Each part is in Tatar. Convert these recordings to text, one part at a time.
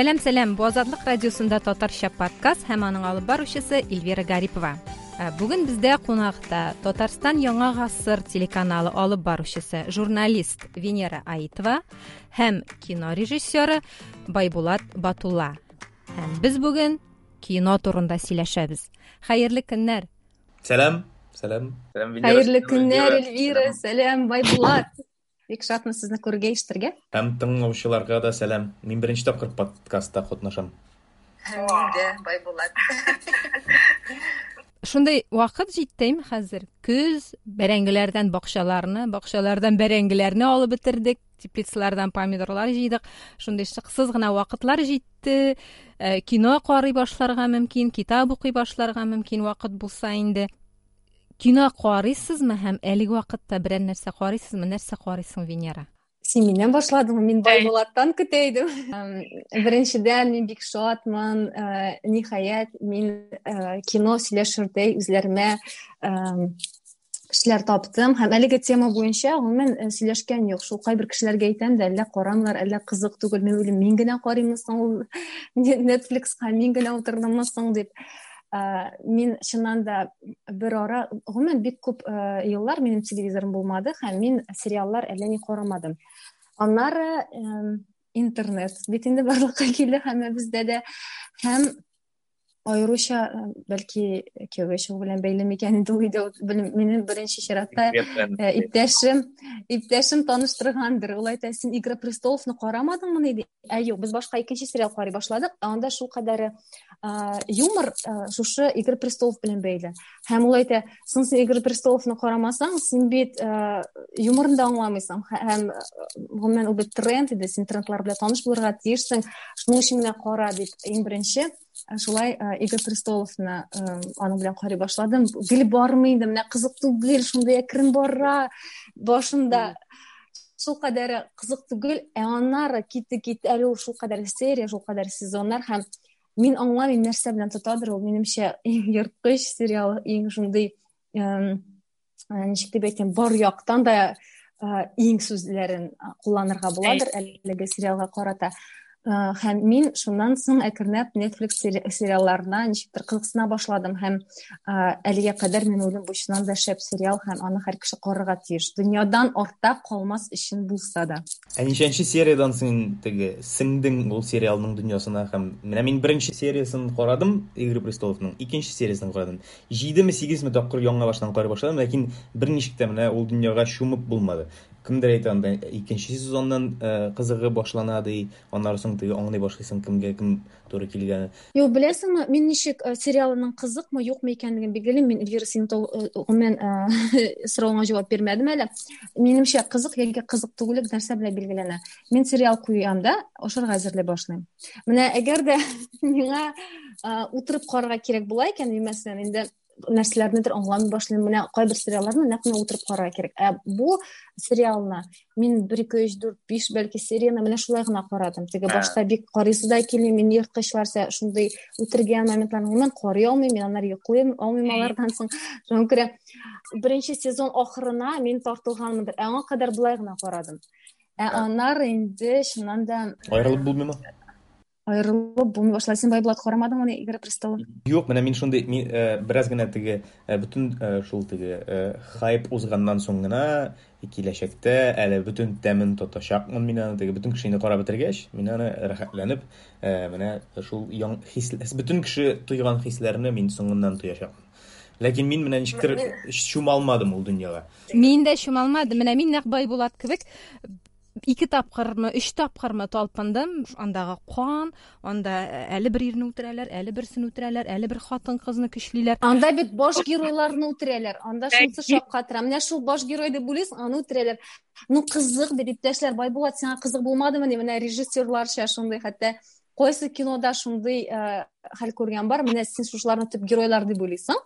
Сәлам, сәлам. Бу Азатлык радиосында татарча подкаст һәм аның алып баручысы Эльвира Гарипова. Бүген бездә кунакта Татарстан Яңа гасыр телеканалы алып баручысы, журналист Венера Аитова һәм кино режиссеры Байбулат Батулла. Һәм без бүген кино турында сөйләшәбез. Хәерле көннәр. Сәлам, сәлам. Сәлам, Венера. Хәерле көннәр, Эльвира. Сәлам, Байбулат. Бик шатмын сезне күрергә, ишетергә. Һәм тыңлаучыларга да сәлам. Мин беренче тапкыр подкастта катнашам. Һәм мин дә, Байбулат. Шундый вакыт җитте инде хәзер. Көз, бәрәңгеләрдән бакчаларны, бакчалардан бәрәңгеләрне алып бетердек, теплицалардан помидорлар җыйдык. Шундый шыксыз гына вакытлар җитте. Кино карый башларга мөмкин, китап укый башларга мөмкин вакыт булса инде. Кино карыйсызмы һәм әлеге вакытта берәр нәрсә карыйсызмы? Нәрсә карыйсың, Венера? Син миннән башладың, мин Байбулаттан көтә идем. Беренчедән, мин бик шатмын. Ниһаять, мин кино сөйләшердәй үзләремә кешеләр таптым һәм әлеге тема буенча гомумән сөйләшкән юк. Шул кайбер кешеләргә әйтәм дә, әллә карамлар, әллә кызык түгел. Мин уйлыйм, мин генә карыйммы соң ул Netflix-ка, мин генә утырдыммы соң дип. Мин чыннан да бер ара, гомумән бик күп еллар минем телевизорым булмады һәм мин сериаллар әллә ни карамадым. Аннары интернет бит инде барлыкка килде һәммәбездә дә, һәм аеруча, бәлки, кияүгә чыгу белән бәйле микән инде ул өйдә, минем беренче чиратта иптәшем таныштыргандыр. Ул әйтә, син Игра престоловны карамадыңмыни ди. Ә юк, без башка икенче сериал карый башладык, ә анда шул кадәр юмор шушы Игры престолов белән бәйле. Һәм ул әйтә, соң син Игры престоловны карамасаң, син бит юморны да аңламыйсың. Һәм гомумән ул бит тренд иде, син трендлар белән таныш булырга тиешсең, шуның өчен генә кара дип иң беренче шулай Игры престоловны аның белән карый башладым. Гел бармый инде, менә кызык түгел, шундый әкрен бара башында. Шул кадәр кызык түгел, ә аннары китте китте, әле ул шул кадәр серия, шул кадәр сезоннар, һәм мин аңламыйм, нәрсә белән тотадыр ул, минемчә, иң ерткыч сериал, иң шундый, ничек дип әйтәм, бар яктан да иң сүзләрен кулланырга буладыр әлеге сериалга карата. Һәм мин шуннан соң әкренләп Netflix сериалларына ничектер кызыксына башладым, һәм әлегә кадәр мин уйлыйм, бу чыннан да шәп сериал, һәм аны һәр кеше карарга тиеш. Дөньядан артта калмас өчен булса да. Ә ничәнче сериядән син теге сеңдең ул сериалның дөньясына? Һәм менә мин беренче сериясын карадым Игры престоловның, икенче сериясын карадым. 7-ме, 8-ме тапкыр яңа баштан карый башладым, ләкин берничек тә менә ул дөньяга чумып булмады. Кемдер әйтә, анда икенче сезоннан кызыгы башлана ди, аннары соң теге аңлый башлыйсың, кемгә кем туры килгәне. Юк, беләсеңме, мин ничек сериалының кызыкмы, юкмы икәнлеген билгелим. Мин, Эльвира, синең гомумән соравыңа җавап бирмәдем әле. Минемчә, кызык яки кызык түгеллек нәрсә белән билгеләнә? Мин сериал куям да, ашарга әзерли башлыйм. Менә әгәр дә миңа утырып карарга кирәк була икән, мин, мәсәлән, инде нәрсәләрнедер аңламый башлыйм. Менә кайбер сериалларны нәкъ менә утырып карарга кирәк. Ә бу сериалны мин 1, 2, 3, 4, 5 бәлки серияны менә шулай гына карадым. Теге башта бик карыйсы да килми, мин ерткычларча шундый үтергән моментларны гомумән карый алмыйм, мин аннары йоклыйм алмыйм алардан соң. Шуңа күрә беренче сезон ахырына мин тартылганмындыр. Ә аңа кадәр болай гына карадым. Ә аннары инде чыннан да аерылып булмыймы? Аерылып булмый башлады. Син, Байбулат, карамадыңмы ни Игры престолов? Юк, менә мин шундый, мин бераз генә теге бөтен шул теге хайп узганнан соң гына киләчәктә әле бөтен тәмен тотачакмын мин аны, теге бөтен кешене карап бетергәч, мин аны рәхәтләнеп менә шул яң хис, бөтен кеше тойган хисләрне мин соңыннан тоячакмын. Ләкин мин менә ничектер чума алмадым ул дөньяга. Мин дә чума алмадым. Менә мин нәкъ Байбулат кебек 2 тапкырмы, 3 тапкырмы талпындым. Андагы кан, анда әле бер ирне үтерәләр, әле берсен үтерәләр, әле бер хатын-кызны көчлиләр. Анда бит баш геройларны үтерәләр. Анда шунысы шаккатыра. Менә шул баш герой дип уйлыйсың, аны үтерәләр. Ну, кызык бит, иптәшләр, Байбулат, сиңа кызык булмадымы ни? Менә режиссерларча шундый, хәтта кайсы кинода шундый хәл күргән бар. Менә син шушыларны төп геройлар дип уйлыйсың.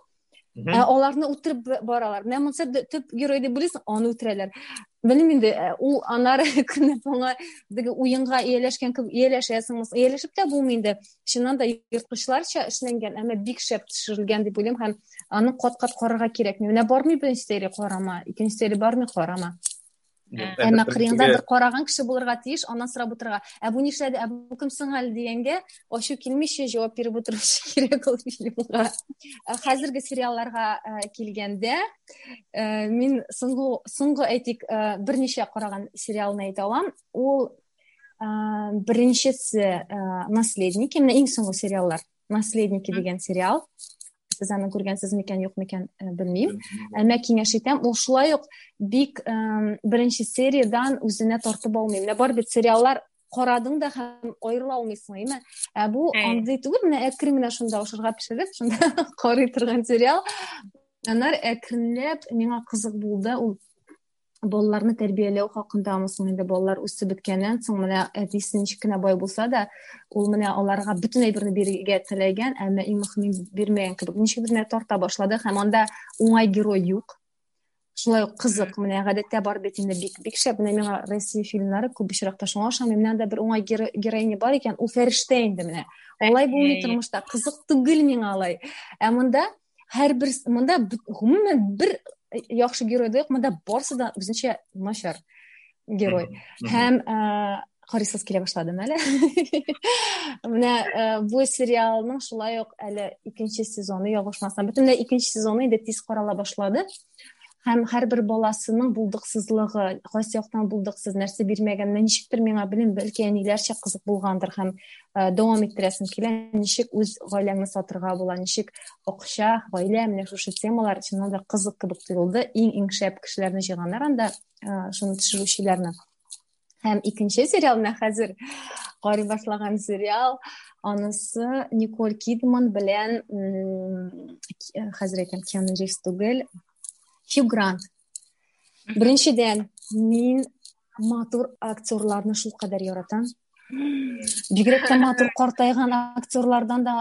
Ә аларны үтереп баралар. Менә монысы төп герой дип уйлыйсың, аны үтерәләр. Белмим инде, ул аннары көнне моңа теге уенга ияләшкән кебек ияләшәсең, ияләшеп тә булмый инде. Чыннан да ерткычларча эшләнгән, әмма бик шәп төшерелгән дип уйлыйм һәм аны кат-кат карарга кирәкми. Менә бармый беренче серия карама, икенче серия бармый карама. Әмма кырыенда бер караган кеше булырга тиеш, аннан сорап утырырга. Ә бу нишләде, ә бу кем соң әле дигәнгә ачу килмичә җавап биреп утыручы кирәк ул фильмга. Хәзерге сериалларга килгәндә, мин соңгы соңгы әйтик, берничә караган сериалны әйтә алам. Ул беренчесе Наследники, менә иң соңгы сериаллар. Наследники дигән сериал. Сез аны күргәнсез микән, юк микән, белмим. Әмма киңәш итәм, ул шулай ук бик беренче сериядән үзенә тартып алмый. Менә бар бит сериаллар карадың да һәм аерыла алмыйсың, әйме? Ә бу андый түгел, менә әкрен генә шунда ашарга пешереп, шунда карый торган сериал. Аннары әкренләп миңа кызык булды, ул балаларны тәрбияләү хакындамы соң инде балалар үсеп беткәннән соң менә әтисе ничек кенә бай булса да ул менә аларга бөтен әйберне бирергә теләгән әмма иң мөһиме бирмәгән кебек ничектер менә тарта башлады һәм анда уңай герой юк шулай ук кызык менә гадәттә бар бит инде бик бик шәп менә миңа Россия фильмнары күп очракта шуңа ошамый менә анда бер уңай героиня бар икән ул фәрештә инде менә алай булмый тормышта кызык түгел миңа алай ә монда һәрбер монда гомумән бер яхшы герой да юк монда барысы да үзенчә начар герой һәм карыйсыз килә башладым әле менә бу сериалның шулай ук әле икенче сезоны ялгышмасам бөтенләй икенче сезоны инде тиз карала башлады һәм һәрбер баласының булдыксызлыгы кайсы яктан булдыксыз нәрсә бирмәгән ничектер миңа белмим бәлки әниләрчә кызык булгандыр һәм дәвам иттерәсем килә ничек үз гаиләңне сатырга була ничек акча гаилә менә шушы темалар чыннан да кызык кебек тоелды иң иң шәп кешеләрне җыйганнар анда шуны төшерүчеләрне Һәм икенче сериал менә хәзер карый башлаган сериал, анысы Николь Кидман белән хәзер әйтәм, Киану Ривз түгел, Хью Грант. Беренчедән, мин матур актерларны шулкадәр яратам. Бигрәк тә матур картайган актерлардан да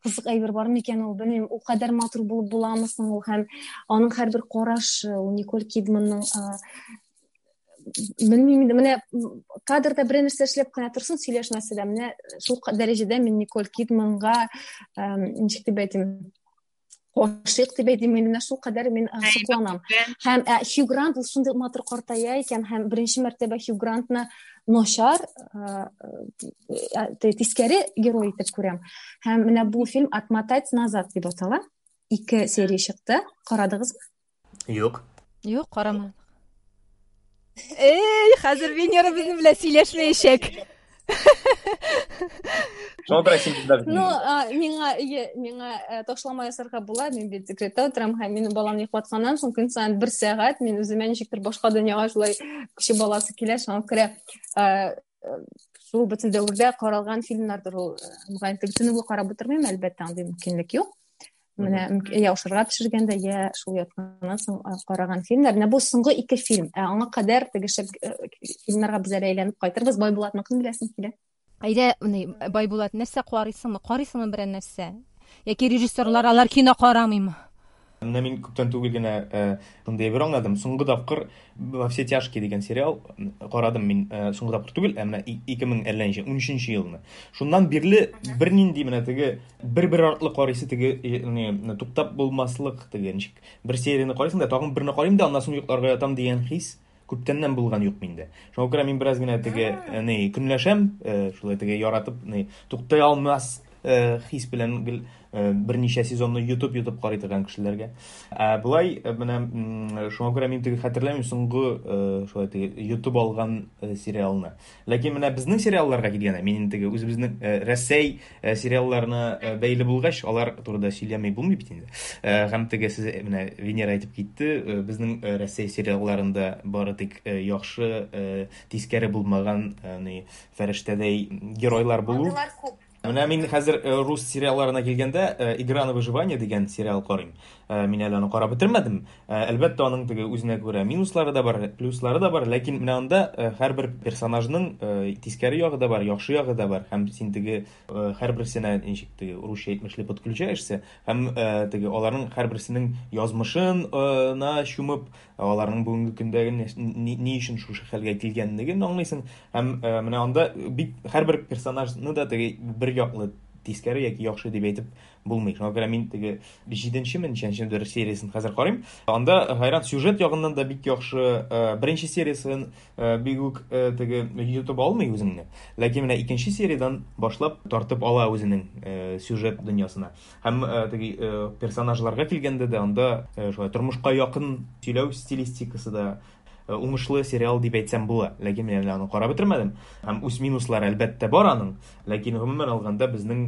кызык әйбер бар микән ул, белмим, ул кадәр матур булып буламы соң ул һәм аның һәрбер карашы, ул Николь Кидманның белмим инде менә кадрда берәр нәрсә эшләп кенә торсын сөйләшмәсә дә менә шул дәрәҗәдә мин Николь Кидманга ничек дип әйтим гашыйк дип әйтим инде менә шул кадәр мин сокланам һәм Хью Грант ул шундый матур картая икән һәм беренче мәртәбә Хью Грантны начар тискәре герой итеп күрәм һәм менә бу фильм отмотать назад дип атала ике серия чыкты карадыгызмы Юк. Юк, карамадык. Эй, хәзер Венера безнең белән сөйләшмәячәк. Шуңа күрә син бездә. Ну, миңа миңа э, ташлама ясарга була, мин бит декретта утырам һәм минем баламны йоклатканнан соң көн саен бер сәгать мин үземә ничектер башка дөньяга шулай кеше баласы килә, шуңа күрә э, шул бөтен дәвердә каралган фильмнардыр ул. Мөгаен, төне буе карап утырмыйм, әлбәттә, андый мөмкинлек юк. Менә я ашарга пешергәндә, я шул ятканнан соң караган фильмнар. Менә бу соңгы ике фильм. Ә аңа кадәр теге шәп фильмнарга без әле әйләнеп кайтырбыз. Байбулатныкын беләсем килә. Әйдә, Байбулат, нәрсә карыйсыңмы? Карыйсыңмы берәр нәрсә? Яки режиссерлар алар кино карамыймы? Менә мин күптән түгел генә шундый әйбер аңладым. Соңгы тапкыр Во все тяжкие дигән сериал карадым мин соңгы тапкыр түгел, ә менә 2000 әллә ничә, 13 елны. Шуннан бирле бернинди менә теге бер-бер артлы карыйсы теге не туктап булмаслык теге ничек бер серияне карыйсың да тагын берне карыйм да аннан соң йокларга ятам дигән хис күптәннән булган юк миндә. Шуңа күрә мин бераз генә теге ни көнләшәм, шулай теге яратып ни туктай алмас хис белән гел берничә сезонны йотып-йотып карый торган кешеләргә. Ә болай менә шуңа күрә мин теге хәтерләмим соңгы шулай теге йотып алган сериалны. Ләкин менә безнең сериалларга килгәндә, мин инде теге үзебезнең Рәсәй сериалларына бәйле булгач, алар турында сөйләми булмый бит инде. Һәм теге сез менә Венера әйтеп китте, безнең Рәсәй сериалларында бары тик яхшы, тискәре булмаган ни фәрештәдәй геройлар булу. Андыйлар күп. Менә мин хәзер рус сериалларына килгәндә, Игра на выживание дигән сериал карыйм. Мин әле аны карап бетермәдем. Әлбәттә, аның теге үзенә күрә минуслары да бар, плюслары да бар, ләкин менә анда һәрбер персонажның тискәре ягы да бар, яхшы ягы да бар. Һәм син теге һәрберсенә ничек теге русча әйтмешли подключаешься, һәм теге аларның һәрберсенең язмышына чумып, аларның бүгенге көндәге ни өчен шушы хәлгә килгәнлеген аңлыйсың. Һәм менә анда бик һәрбер персонажны да теге бер яклы тискәре яки яхшы дип әйтеп булмый. Шуңа күрә мин теге җиденчеме, ничәнчедер сериясен хәзер карыйм. Анда хайран сюжет ягыннан да бик яхшы. Беренче сериясен бик үк теге йотып алмый үзеңне. Ләкин менә икенче сериядән башлап тартып ала үзенең сюжет дөньясына. Һәм теге персонажларга килгәндә дә анда шулай тормышка якын сөйләү стилистикасы да уңышлы сериал дип әйтсәм була. Ләкин мин әле аны карап бетермәдем. Һәм үз минуслары әлбәттә бар аның. Ләкин гомумән алганда безнең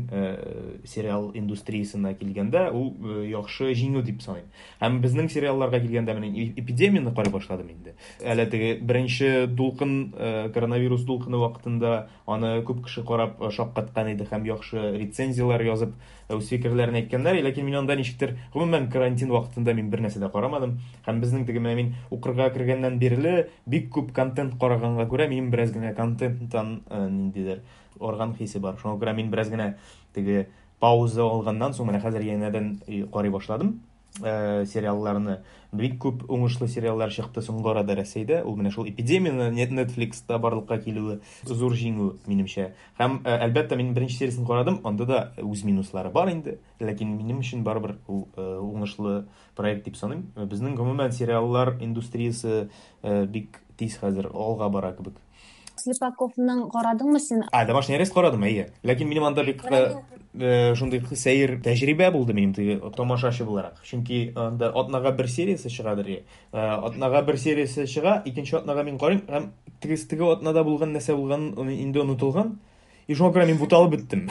сериал индустриясенә килгәндә ул яхшы җиңү дип саныйм. Һәм безнең сериалларга килгәндә мин эпидемияне карый башладым инде. Әле теге беренче дулкын, коронавирус дулкыны вакытында аны күп кеше карап шаккаткан иде һәм яхшы рецензияләр язып үз фикерләрен әйткәннәр. Ләкин мин анда ничектер, гомумән карантин вакытында мин бер нәрсә дә карамадым. Һәм безнең теге менә мин укырга кергәннән бирле бик күп контент караганга күрә минем бераз генә контенттан ниндидер орган хисе бар. Шуңа күрә мин бераз генә теге пауза алганнан соң менә хәзер янәдән карый башладым сериалларны. Бик күп уңышлы сериаллар чыкты соңгы арада Рәсәйдә. Ул менә шул эпидемияне Netflixта барлыкка килүе зур җиңү минемчә. Һәм әлбәттә мин беренче сериясен карадым, анда да үз минуслары бар инде. Ләкин минем өчен барыбер ул уңышлы проект дип саныйм. Безнең гомумән сериаллар индустриясе бик тиз хәзер алга бара кебек. Слепаковның карадыңмы син? А, домашний арест карадым, әйе. Ләкин минем анда бик шундый сәер тәҗрибә булды минем теге тамашачы буларак. Чөнки анда атнага бер сериясе чыгадыр. Атнага бер сериясе чыга, икенче атнага мин карыйм һәм теге атнада булган нәрсә булган инде онытылган. И шуңа күрә мин буталып беттем.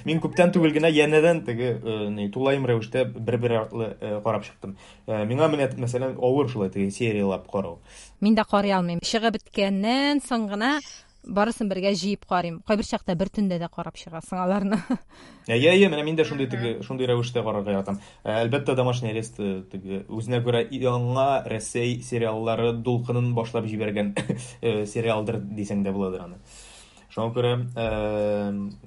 Мин күптән түгел генә янәдән теге тулаем рәвештә бер-бер артлы карап чыктым. Миңа менә, мәсәлән, авыр шулай теге сериялап карау. Мин дә карый алмыйм. Чыгып беткәннән соң гына барысын бергә җыеп карыйм. Кайбер чакта бер төндә дә карап чыгасың аларны. Әйе, әйе, менә мин дә шундый теге шундый рәвештә карарга яратам. Әлбәттә, домашний арест теге үзенә күрә яңа Рәсәй сериаллары дулкынын башлап җибәргән сериалдыр дисәң дә буладыр аны. Шуңа күрә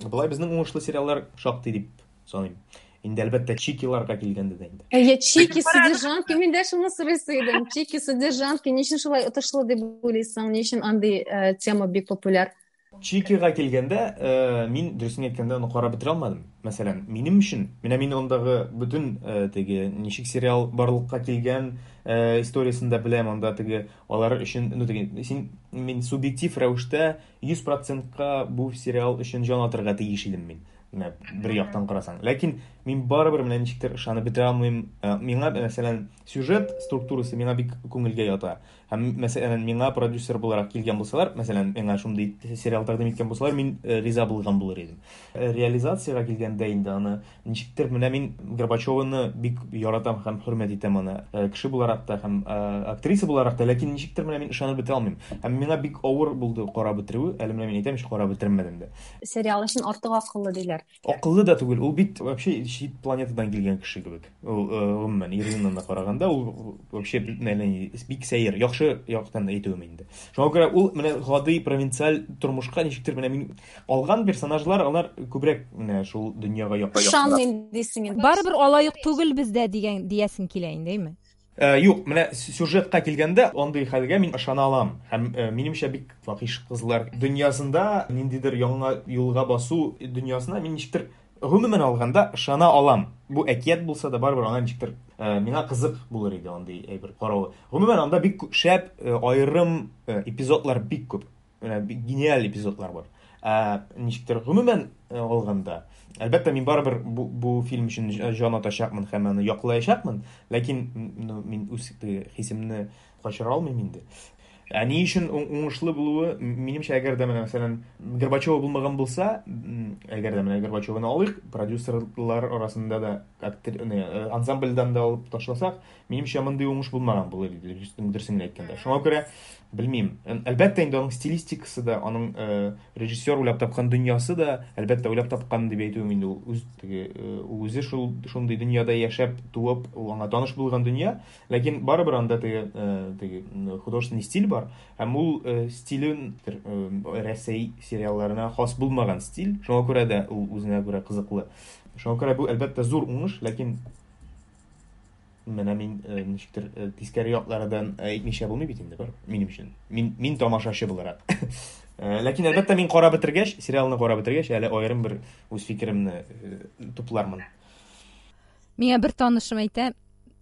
болай безнең уңышлы сериаллар шактый дип саныйм. Инде әлбәттә Чикиларга килгәндә дә инде. Әйе, Чики содержанки, мин дә шуны сорыйсы идем. Чики содержанки ни өчен шулай отышлы дип уйлыйсың? Ни өчен андый тема бик популяр? Чикига килгәндә, мин дөресен әйткәндә аны карап бетерә алмадым. Мәсәлән, минем өчен, менә мин андагы бөтен теге ничек сериал барлыкка килгән историясен дә беләм, анда теге алар өчен, ну теге син мин субъектив рәвештә 100%-ка бу сериал өчен җан атырга тиеш идем мин. Менә бер яктан карасаң. Ләкин мин барыбер менә ничектер ышанып бетерә алмыйм. Миңа, мәсәлән, сюжет структурасы миңа бик күңелгә ята. Һәм, мәсәлән, миңа продюсер буларак килгән булсалар, мәсәлән, миңа шундый сериал тәкъдим иткән булсалар, мин риза булган булыр идем. Реализациягә килгәндә инде аны ничектер менә мин Горбачеваны бик яратам һәм хөрмәт итәм аны. Кеше буларак та һәм актриса буларак та, ләкин ничектер менә мин ышанып бетерә алмыйм. Һәм миңа бик авыр булды карап бетерүе. Әле менә мин әйтәм, карап бетермәдем дә. Сериал өчен артык акыллы диләр. Акыллы да түгел, ул бит вообще чит планетадан килгән кеше кебек. Ул гомумән Иринаны да караганда ул вообще бик сәер, яхшы яктан әйтүем инде. Шуңа күрә ул менә гади провинциаль тормышка ничектер менә мин алган персонажлар алар күбрәк менә шул дөньяга якын. Ышанмыйм дисең инде. Барыбер алай ук түгел бездә дигән диясең килә инде, әйме? Юк, менә сюжетка килгәндә андый хәлгә мин ышана алам. Һәм минемчә бик фахиш кызлар дөньясында ниндидер яңа юлга басу дөньясына мин ничектер гомумән алганда ышана алам. Бу әкият булса да барыбер аңа ничектер миңа кызык булыр иде андый әйбер каравы. Гомумән анда бик шәп аерым эпизодлар бик күп. Менә бик гениаль эпизодлар бар. Ә ничектер гомумән алганда, әлбәттә, мин барыбер бу фильм өчен җан атачакмын һәм аны яклаячакмын, ләкин мин үз хисемне качыра алмыйм инде. Ә ни өчен уңышлы булуы, минемчә, әгәр дә менә, мәсәлән, Горбачева булмаган булса, әгәр дә менә Горбачеваны алыйк, продюсерлар арасында да ансамбльдан да алып ташласак, минемчә, мондый уңыш булмаган булыр иде, дөресен генә әйткәндә. Шуңа күрә белмим. Әлбәттә, инде аның стилистикасы да, аның режиссер уйлап тапкан дөньясы да, әлбәттә, уйлап тапкан дип әйтүем инде ул үз теге ул үзе шул шундый дөньяда яшәп, туып, ул аңа таныш булган дөнья, ләкин барыбер анда теге теге художественный стиль бар, һәм ул стилен Рәсәй сериалларына хас булмаган стиль, шуңа күрә дә ул үзенә күрә кызыклы. Шуңа күрә бу әлбәттә зур уңыш, ләкин менә мин ничектер тискәре яклардан әйтмичә булмый бит инде, бар минем өчен. Мин тамашачы буларак. Ләкин әлбәттә мин карап бетергәч, сериалны карап бетергәч, әле аерым бер үз фикеремне туплармын. Миңа бер танышым әйтә,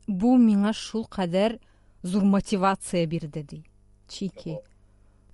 бу миңа шул кадәр зур мотивация бирде, ди. Чики.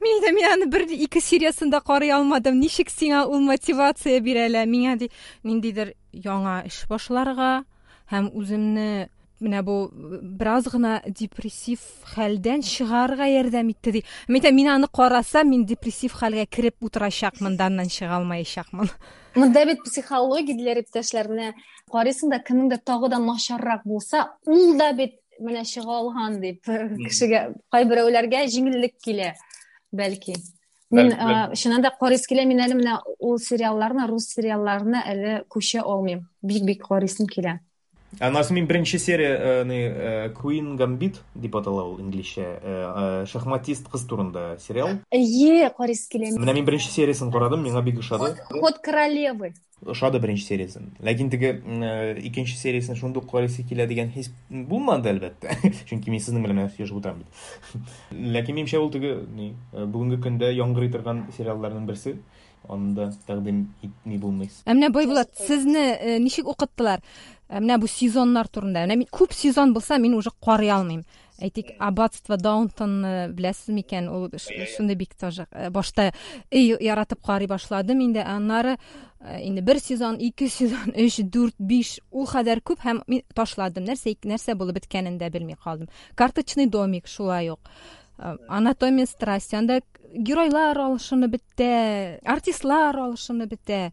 Мин дә мин аны бер ике сериясын да карый алмадым. Ничек сиңа ул мотивация бирә әле? Миңа ди ниндидер яңа эш башларга һәм үземне менә бу бераз гына депрессив хәлдән чыгарга ярдәм итте ди. Мин әйтәм, мин аны карасам, мин депрессив хәлгә кереп утырачакмын да аннан чыга алмаячакмын. Монда бит психология диләр иптәшләр. Менә карыйсың да, кемнеңдер тагы да начаррак булса, ул да бит менә чыга алган дип кешегә кайберәүләргә җиңеллек килә бәлки. Мин чыннан да карыйсы килә, мин әле менә ул сериалларны, рус сериалларына әле күчә алмыйм. Бик-бик карыйсым килә. Аннан соң мин беренче серия Queen Gambit дип атала ул инглизчә. Шахматист кыз турында сериал. Әйе, карыйсы килә. Менә мин беренче сериясен карадым, миңа бик ошады. Ход королевы. Ошады беренче сериясен. Ләкин теге икенче сериясен шундук карыйсы килә дигән хис булмады, әлбәттә. Чөнки мин сезнең белән сөйләшеп утырам бит. Ләкин минемчә ул теге ни, бүгенге көндә яңгырый торган сериалларның берсе. Аны да тәкъдим итми булмый. Ә менә Байбулат, сезне ничек укыттылар? Менә бу сезоннар турында. Менә мин күп сезон булса, мин уже карый алмыйм. Әйтик, Аббатство Даунтонны беләсез микән? Ул шундый бик тоже башта эй яратып карый башладым инде, аннары инде бер сезон, ике сезон, өч, дүрт, биш, ул кадәр күп һәм мин ташладым. Нәрсә нәрсә булып беткәнен дә белми калдым. Карточный домик шулай ук. Анатомия страсти. Анда геройлар алышынып бетә, артистлар алышынып бетә.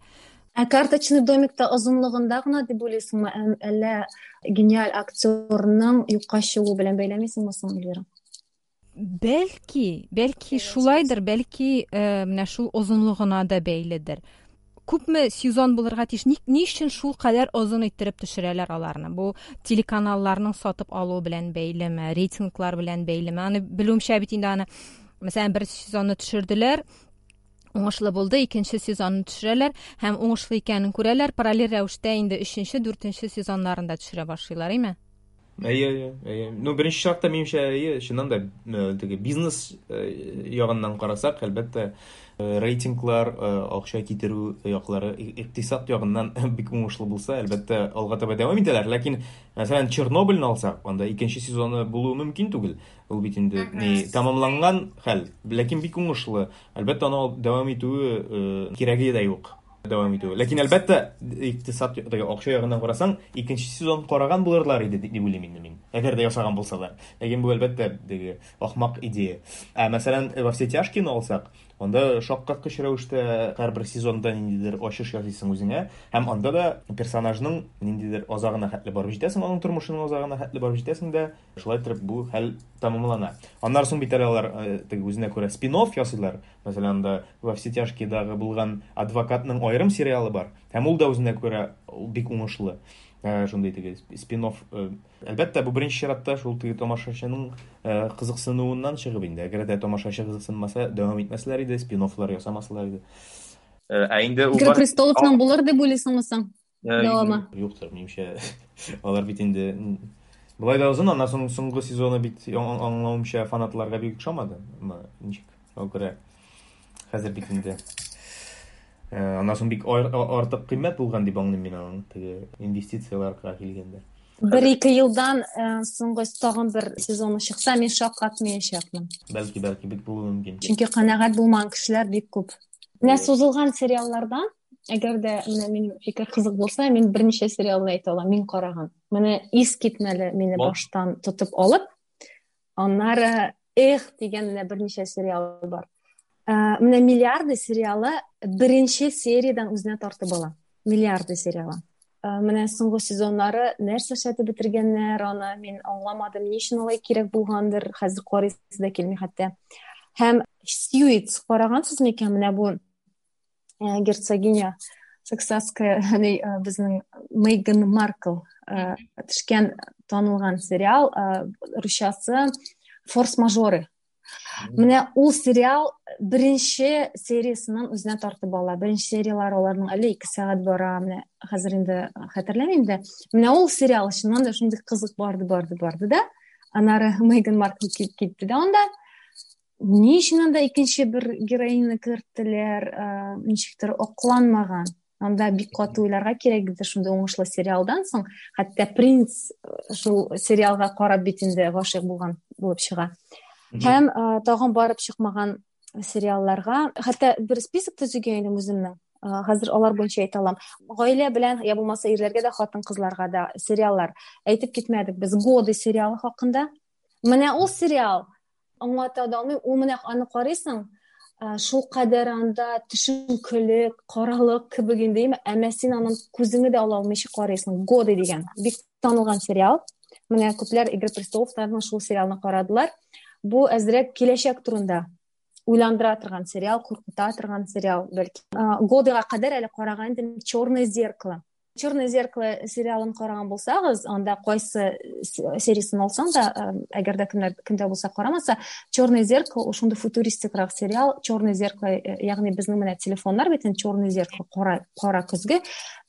Ә карточный домикта озынлыгында гына дип уйлыйсыңмы, әллә гениаль актерның юкка чыгуы белән бәйләмисеңме соң, Эльвира? Бәлки, бәлки шулайдыр, бәлки менә шул озынлыгына да бәйледер. Күпме сезон булырга тиеш? Ни, ни өчен шул кадәр озын иттереп төшерәләр аларны? Бу телеканалларның сатып алуы белән бәйлеме, рейтинглар белән бәйлеме? Аны белүемчә бит инде аны, мәсәлән, бер сезонны төшерделәр, уңышлы булды, икенче сезонны төшерәләр һәм уңышлы икәнен күрәләр, параллель рәвештә инде өченче, дүртенче сезоннарын да төшерә башлыйлар, әйме? Әйе, әйе, әйе. Ну, беренче чиратта, минемчә, әйе, чыннан да, теге бизнес ягыннан карасак, әлбәттә, рейтинглар, акча китерү яклары икътисад ягыннан бик уңышлы булса, әлбәттә, алга таба дәвам итәләр. Ләкин, мәсәлән, Чернобыльны алсак, анда икенче сезоны булуы мөмкин түгел. Ул бит инде ни тәмамланган хәл, ләкин бик уңышлы. Әлбәттә, аны алып дәвам итүе кирәге дә юк. Дәвам итүе. Ләкин, әлбәттә, икътисад, теге акча ягыннан карасаң, икенче сезон караган булырлар иде дип уйлыйм инде мин. Әгәр дә ясаган булсалар. Ләкин бу, әлбәттә, теге ахмак идея. Ә мәсәлән, Во все тяжкие алсак, анда шаккаткыч рәвештә һәрбер сезонда ниндидер ачыш ясыйсың үзеңә, һәм анда да персонажның ниндидер азагына хәтле барып җитәсең, аның тормышының азагына хәтле барып җитәсең дә, шулай итеп бу хәл тәмамлана. Аннары соң бит әле алар теге үзенә күрә спин-офф ясыйлар. Мәсәлән, анда Во все тяжкиедагы булган адвокатның аерым сериалы бар. Һәм ул да үзенә күрә бик уңышлы. Шундый теге спин-офф. Әлбәттә, бу беренче чиратта шул теге тамашачының кызыксынуыннан чыгып инде. Әгәр дә тамашачы кызыксынмаса, дәвам итмәсләр иде, спин-оффлар ясамаслар иде. Ә инде ул Игра престоловның булыр дип уйлыйсыңмы соң? Дәвамы. Юктыр, минемчә. Алар бит инде болай да озын, аннан соң соңгы сезоны бит аңлавымча фанатларга бик ошамады. Ничек? Шуңа күрә хәзер бит инде аннан соң бик артык кыйммәт булган дип аңлыйм мин аның теге инвестицияләргә килгәндә. Бер-ике елдан соңгы тагын бер сезоны чыкса, мин шаккатмаячакмын. Бәлки, бәлки бик булуы мөмкин. Чөнки канәгать булмаган кешеләр бик күп. Менә сузылган сериаллардан, әгәр дә менә минем фикер кызык булса, мин берничә сериалны әйтә алам, мин караган. Менә искитмәле мине баштан тотып алып, аннары эх дигән менә берничә сериал бар. Менә Миллиарды сериалы беренче сериядән үзенә тартып ала. Миллиарды сериалы. Менә соңгы сезоннары нәрсә эшләтеп бетергәннәр аны, мин аңламадым, ни өчен алай кирәк булгандыр, хәзер карыйсы да килми хәтта. Һәм Сьюитс карагансыз микән? Менә бу герцогиня Саксасская, безнең Мейган Маркл төшкән танылган сериал, русчасы Форс-мажоры. Менә ул сериал беренче сериясеннән үзенә тартып ала. Беренче серияләр аларның әле 2 сәгать бара, менә хәзер инде хәтерләмим дә. Менә ул сериал чыннан да шундый кызык барды, барды, барды да. Аннары Мейган Маркл килеп китте дә анда. Ни өчен анда икенче бер героиняны керттеләр, ничектер акланмаган. Анда бик каты уйларга кирәк иде шундый уңышлы сериалдан соң. Хәтта принц шул сериалга карап бит инде гашыйк булган булып чыга. Һәм тагын барып чыкмаган сериалларга, хәтта бер список төзегән идем үземнең. Хәзер алар буенча әйтә алам. Гаилә белән, я булмаса ирләргә дә, хатын-кызларга да сериаллар. Әйтеп китмәдек без Годы сериалы хакында. Менә ул сериал аңлата да алмыйм. Ул менә аны карыйсың, шул кадәр анда төшенкелек, каралык кебек инде, әмма син аның күзеңне дә ала алмыйча карыйсың. Годы дигән бик танылган сериал. Менә күпләр Игры престоловтан шул сериалны карадылар. Бу әзрәк киләчәк турында уйландыра торган сериал, куркыта торган сериал, бәлки. Годыга кадәр әле караган идем Черное зеркало. Черное зеркало сериалын караган булсагыз, анда кайсы сериясын алсаң да, әгәр дә кемнәр кемдә булса карамаса, Черное зеркало ул шундый футуристикрак сериал, Черное зеркало, ягъни безнең менә телефоннар бит инде Черное зеркало, кара кара көзге,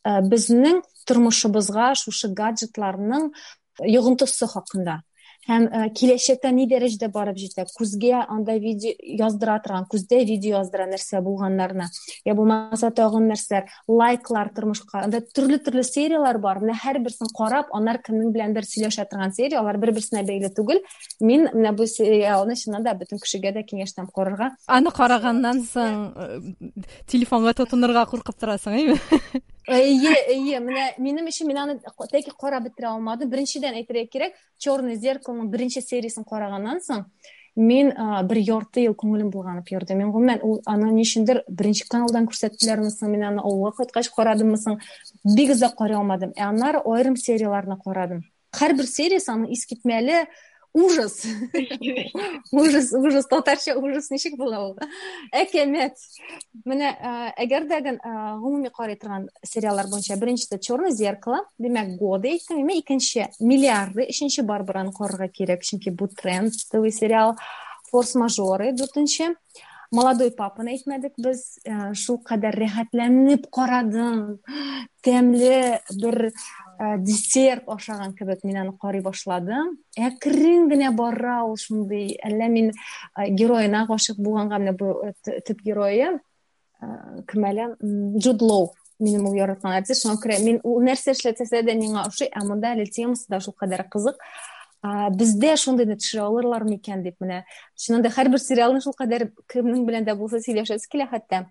безнең тормышыбызга шушы гаджетларның йогынтысы хакында һәм киләчәктә ни дәрәҗәдә барып җитә, күзгә анда видео яздыра торган, күздә видео яздыра нәрсә булганнарны, я булмаса тагын нәрсәләр, лайклар тормышка, анда төрле-төрле серияләр бар, менә һәрберсен карап, аннар кемнең беләндер сөйләшә торган серия, алар бер-берсенә бәйле түгел. Мин менә бу сериалны чыннан да бөтен кешегә дә киңәш итәм карарга. Аны караганнан соң телефонга тотынырга куркып торасың, әйме? Әйе, әйе, менә минем өчен мин аны тәки карап бетерә алмадым. Беренчедән әйтергә кирәк, Черное зеркалоның беренче сериясен караганнан соң, мин бер ярты ел күңелем булганып йөрде. Мин гомумән ул аны ни өчендер беренче каналдан күрсәттеләрме соң, мин аны авылга кайткач карадыммы соң, бик озак карый алмадым. Ә аннары аерым серияләрне карадым. Һәрбер сериясе аның искитмәле ужас. Ужас, ужас, татарча ужас ничек була ул? Әкәмәт. Менә әгәр дә гомуми карый торган сериаллар буенча беренчесе Черное зеркало, димәк, Годы әйттем, әмма икенче Миллиарды, өченче Барбараны карарга кирәк, чөнки бу трендовый сериал. Форс-мажоры дүртенче. Молодой папаны әйтмәдек без, шул кадәр рәхәтләнеп карадым. Тәмле бер десерт ашаган кебек мин аны карый башладым. Әкрен генә бара ул шундый, әллә мин героена гашыйк булганга, менә бу төп герое кем әле, Джуд Лоу, минем ул яраткан артист, шуңа күрә мин ул нәрсә эшләтсә дә миңа ошый, ә монда әле темасы да шул кадәр кызык. Бездә шундыйны төшерә алырлар микән дип, менә чыннан да һәрбер сериалны шул кадәр кемнең белән дә булса сөйләшәсе килә хәтта.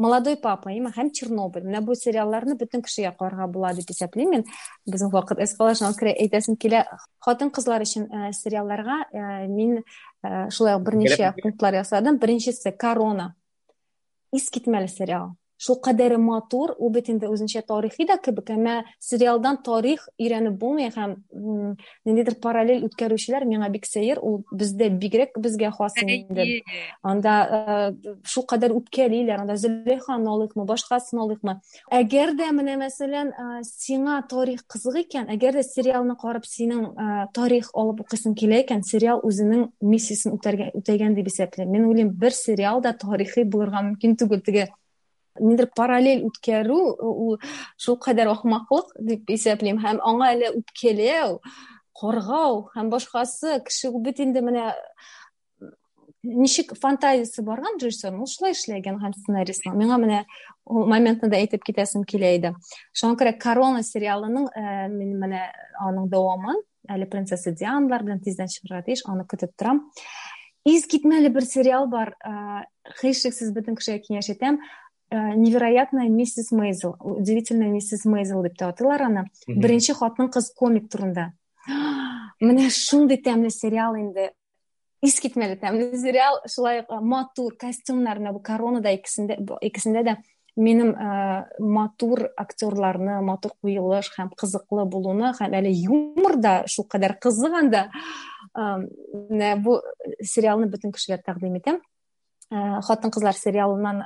Молодой папа, имә һәм Чернобыль. Менә бу сериалларны бөтен кешегә карарга була дип исәплим мин. Безнең вакыт әз кала, шуңа күрә әйтәсем килә. Хатын-кызлар өчен сериалларга мин шулай ук берничә пунктлар ясадым. Беренчесе Корона. Искитмәле сериал. Шул кадәре матур, ул бит инде үзенчә тарихи да кебек, әмма сериалдан тарих өйрәнеп булмый һәм ниндидер параллель үткәрүчеләр миңа бик сәер, ул бездә бигрәк безгә хас инде. Анда шул кадәр үпкәлиләр, анда Зөләйханы алыйкмы, башкасын алыйкмы. Әгәр дә менә мәсәлән, сиңа тарих кызык икән, әгәр дә сериалны карап синең тарих алып укыйсың килә икән, сериал үзенең миссиясен үтәргә үтәгән дип исәплим. Мин уйлыйм, бер сериал да тарихи булырга мөмкин түгел. Теге ниндидер параллель үткәрү ул шул кадәр ахмаклык дип исәплим һәм аңа әле үпкәләү, каргау һәм башкасы кеше бит инде менә ничек фантазиясе барган режиссерның, ул шулай эшләгән һәм сценаристның. Миңа менә ул моментны да әйтеп китәсем килә иде. Шуңа күрә Корона сериалының мин менә аның дәвамын әле принцесса Дианалар белән тиздән чыгарга тиеш, аны көтеп торам. Искитмәле бер сериал бар, һичшиксез бөтен кешегә киңәш итәм. Невероятная миссис Мейзел, удивительная миссис Мейзел дип тә атыйлар аны. Беренче хатын-кыз комик турында. Менә шундый тәмле сериал инде. Искитмәле тәмле сериал, шулай ук матур костюмнар, менә бу Коронада икесендә дә минем матур актерларны, матур куелыш һәм кызыклы булуны һәм әле юмор да шул кадәр кызык анда. Менә бу сериалны бөтен кешегә тәкъдим итәм. Хатын-кызлар сериалыннан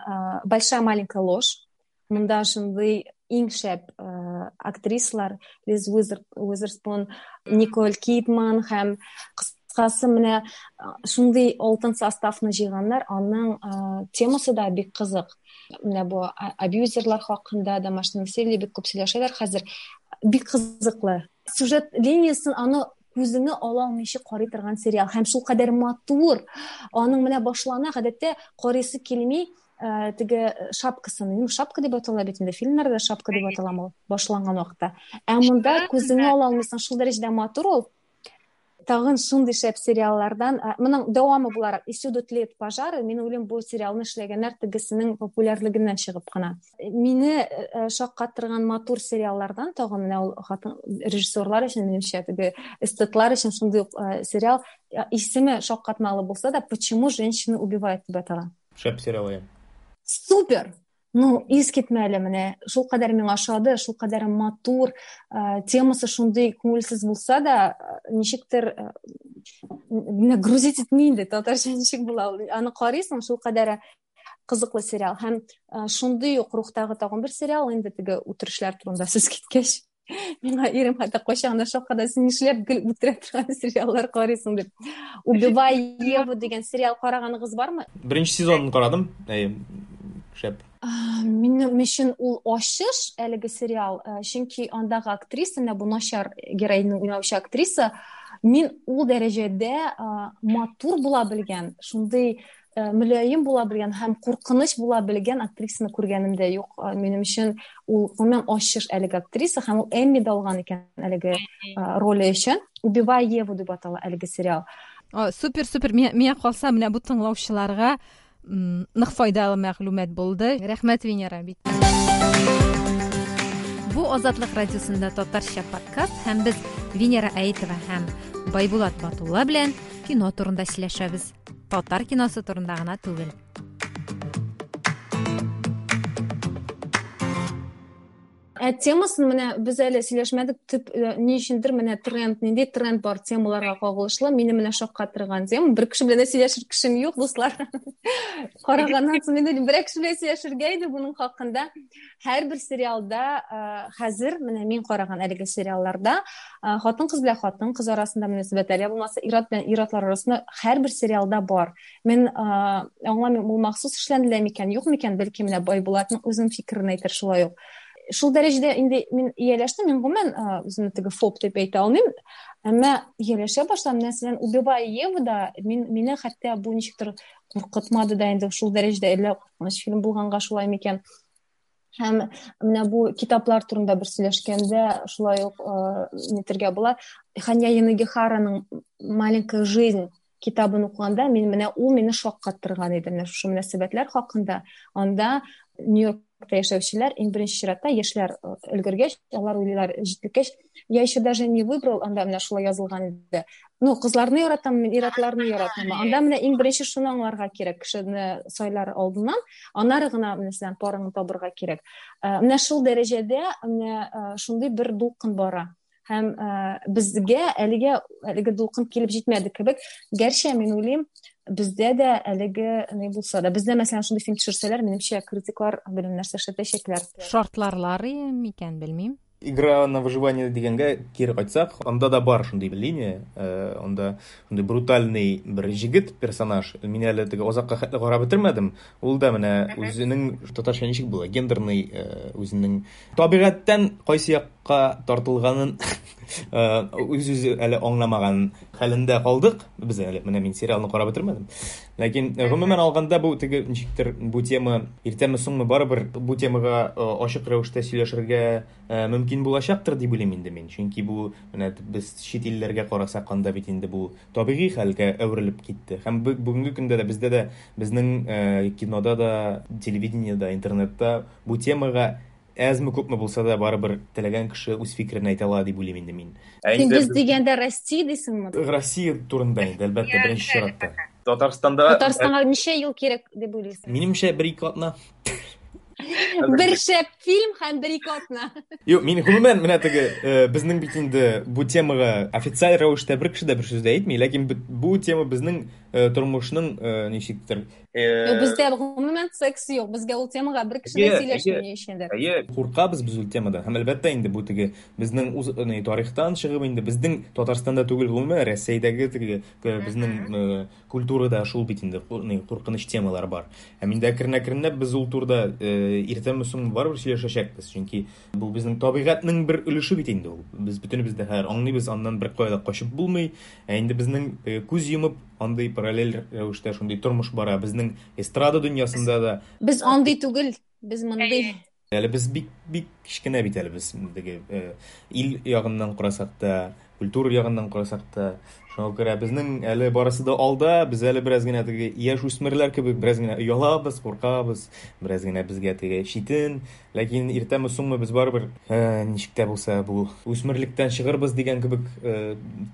Большая маленькая ложь. Монда шундый иң шәп актрисалар Лиз Уизерспун, Николь Кидман һәм кыскасы менә шундый алтын составны җыйганнар. Аның темасы да бик кызык. Менә бу абьюзерлар хакында, домашний насилие бик күп сөйләшәләр хәзер. Бик кызыклы. Сюжет линиясын аны Күзеңне ала алмыйча карый торган сериал һәм шулкадәр матур. Аның менә башлана, гадәттә карыйсы килми, теге шапкасын, ну, шапка дип атала бит инде, фильмнарда шапка дип аталамы ул, башланган вакытта. Ә монда күзеңне ала алмыйсың, шул дәрәҗәдә матур ул. Тагын шундый шәп сериаллардан, моның дәвамы буларак, И всюду тлеют пожары, мин уйлыйм, бу сериалны эшләгәннәр тегесенең популярлыгыннан чыгып кына. Мине шаккатырган матур сериаллардан тагын менә ул хатын режиссерлар өчен, минемчә, теге эстетлар өчен шундый ук сериал, исеме шаккатмалы булса да, Почему женщины убивают дип атала. Шәп сериал, иә. Супер! Ну, искитмәле менә, шулкадәр миңа ошады, шулкадәр матур, темасы шундый күңелсез булса да, ничектер менә грузить итми инде, татарча ничек була ул. Аны карыйсың, шулкадәр кызыклы сериал. Һәм шундый ук рухтагы тагын бер сериал, инде теге үтерешләр турында сүз киткәч. Миңа ирем хәтта кайчагында шакката, син нишләп гел үтерә торган сериаллар карыйсың дип. Убивая Еву дигән сериал караганыгыз бармы? Беренче сезонын карадым. Әйе, шәп. Минем өчен ул ачыш әлеге сериал, чөнки андагы актриса, менә бу начар героиняны уйнаучы актриса, мин ул дәрәҗәдә матур була белгән, шундый мөлаем була белгән һәм куркыныч була белгән актрисаны күргәнем дә юк. Минем өчен ул гомумән ачыш әлеге актриса, һәм ул Эмми дә алган икән әлеге роле өчен. Убивая Еву дип атала әлеге сериал. Супер, супер. Миңа калса, менә бу тыңлаучыларга нык файдалы мәгълүмат булды. Рәхмәт, Венера бит. Бу Азатлык радиосында татарча подкаст һәм без Венера Әйтова һәм Байбулат Батулла белән кино турында сөйләшәбез. Татар киносы турында гына түгел. Ә темасын менә без әле сөйләшмәдек, төп ни өчендер менә тренд, нинди тренд бар темаларга кагылышлы, мине менә шаккатырган тема. Бер кеше белән дә сөйләшер кешем юк, дуслар. Караганнан соң мин уйлыйм, бер кеше белән сөйләшергә иде буның хакында. Һәрбер сериалда, хәзер менә мин караган әлеге сериалларда, хатын-кыз белән хатын-кыз арасында мөнәсәбәтләр, я булмаса ир-ат белән ир-атлар арасында һәрбер сериалда бар. Мин аңламыйм, ул махсус эшләнелә микән, юк микән, бәлки менә Байбулатның үзенең фикерен әйтер шулай ук. Шул дәрәҗәдә инде мин ияләштем, мин гомумән үземне теге фоб дип әйтә алмыйм, әмма ияләшә башладым. Мәсәлән, Убивая Еву да мине хәтта бу ничектер куркытмады да инде шул дәрәҗәдә, әллә куркыныч фильм булганга шулай микән. Һәм менә бу китаплар турында бер сөйләшкәндә шулай ук нитергә була. Ханья Янагихараның Маленькая жизнь китабын укыганда мин менә ул мине шаккаттырган иде. Менә шушы мөнәсәбәтләр хакында. Анда Нью-Йоркта яшәүчеләр иң беренче чиратта яшьләр өлгергәч, алар уйлыйлар, җитлеккәч, я еще даже не выбрал, анда менә шулай язылган иде. Ну, кызларны яратам, мин ир-атларны яратам. Анда менә иң беренче шуны аңларга кирәк, кешене сайлар алдыннан, аннары гына, мәсәлән, парыңны табырга кирәк. Менә шул дәрәҗәдә менә шундый бер дулкын бара. Һәм безгә әлегә әлеге дулкын килеп җитмәде кебек. Гәрчә мин уйлыйм, бездә дә әлеге ни булса да, бездә мәсәлән шундый фильм төшерсәләр, минемчә, критиклар белән нәрсә эшләтәчәкләр. Шартларлар микән, белмим. Игра на выживание дигәнгә кире кайтсак, анда да бар шундый линия, анда шундый брутальный бер җегет персонаж. Мин әле теге озакка хәтле карап бетермәдем. Ул да менә үзенең татарча ничек була, гендерный, үзенең табигатьтән кайсы якка тартылганын үз-үзе әле аңламаган хәлендә калдык. Без әле менә мин сериалны карап бетермәдем. Ләкин гомумән алганда бу теге ничектер бу тема иртәме соңмы барыбер бу темага ачык рәвештә сөйләшергә мөмкин булачактыр дип уйлыйм инде мин. Чөнки бу менә без чит илләргә карасак, анда бит инде бу табигый хәлгә әверелеп китте. Һәм бүгенге көндә дә бездә дә безнең кинода да, телевидениедә, интернетта бу темага әзме күпме булса да барыбер теләгән кеше үз фикерен әйтә ала дип уйлыйм инде мин. Ә Син без дигәндә Россия дисеңме? Россия турында инде, әлбәттә, беренче чиратта. Татарстанда Татарстанга ничә ел кирәк дип уйлыйсың? Минемчә, бер-ике атна. Бер шәп фильм һәм бер-ике атна. Юк, мин гомумән менә теге безнең бит инде бу темага официаль рәвештә бер кеше дә бер сүз дә әйтми, ләкин бу тема безнең тормышның ничектер Юк, бездә гомумән секс юк. Безгә ул темага бер кеше дә сөйләшми ни өчендер. Әйе, куркабыз без ул темадан. Һәм әлбәттә инде бу теге безнең үз тарихтан чыгып инде безнең Татарстанда түгел, гомумән Рәсәйдәге теге безнең культурада шул бит инде куркыныч темалар бар. Һәм инде әкрен-әкренләп без ул турыда иртәме соңмы барыбер сөйләшәчәкбез, чөнки бу безнең табигатьнең бер өлеше бит инде ул. Без бөтенебез дә хәзер аңлыйбыз, аннан беркая да качып булмый. Ә инде безнең күз йомып андый параллель рәвештә шундый тормыш бара безнең эстрада дөньясында да. Без андый түгел, без мондый. Әле без бик бик кечкенә бит әле без теге ил ягыннан карасак та, культура ягыннан карасак та. Шуңа күрә безнең әле барысы да алда, без әле бераз генә теге яшь үсмерләр кебек бераз генә оялабыз, куркабыз, бераз генә безгә теге читен. Ләкин иртәме соңмы без барыбер ничек тә булса бу үсмерлектән чыгырбыз дигән кебек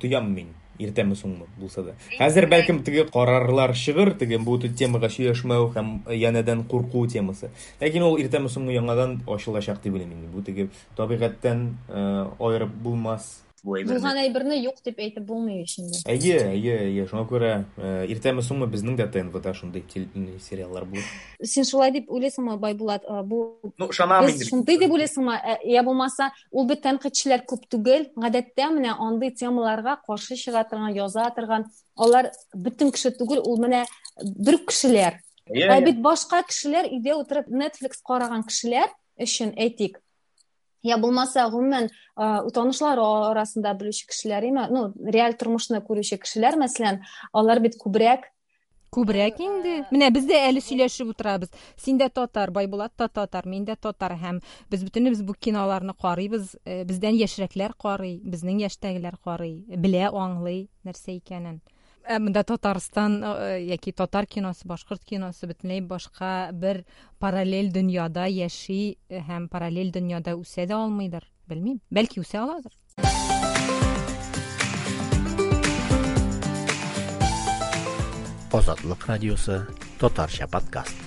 тоям мин. Иртәме соңмы булса да. Хәзер бәлкем теге карарлар чыгыр, теге бу темага сөйләшмәү һәм янәдән курку темасы. Ләкин ул иртәме соңмы яңадан ачылачак дип уйлыйм инде. Бу теге табигатьтән аерып булмас. Бу әйберне. Булган әйберне юк дип әйтеп булмый ич инде. Әйе, әйе, әйе. Шуңа күрә иртәме соңмы безнең дә ТНВда шундый сериаллар булыр. Син шулай дип уйлыйсыңмы, Байбулат? Бу Ну, ышанам инде. Шундый дип уйлыйсыңмы? Я булмаса, ул бит тәнкыйтьчеләр күп түгел. Гадәттә менә андый темаларга каршы чыга торган, яза торган, алар бөтен кеше түгел, ул менә бер кешеләр. Ә бит башка кешеләр өйдә утырып Netflix караган кешеләр өчен әйтик, я булмаса гомумән танышлар арасында белүче кешеләр име, ну, реаль тормышны күрүче кешеләр, мәсәлән, алар бит күбрәк Күбрәк инде. Менә без дә әле сөйләшеп утырабыз. Син дә татар, Байбулат та татар, мин дә татар һәм без бөтенебез бу киноларны карыйбыз. Бездән яшьрәкләр карый, безнең яшьтәгеләр карый, белә, аңлый нәрсә икәнен. Ә монда Татарстан яки татар киносы, башкорт киносы бөтенләй башка бер параллель дөньяда яши һәм параллель дөньяда үсә дә алмыйдыр. Белмим. Бәлки үсә аладыр. Азатлык радиосы татарча подкаст.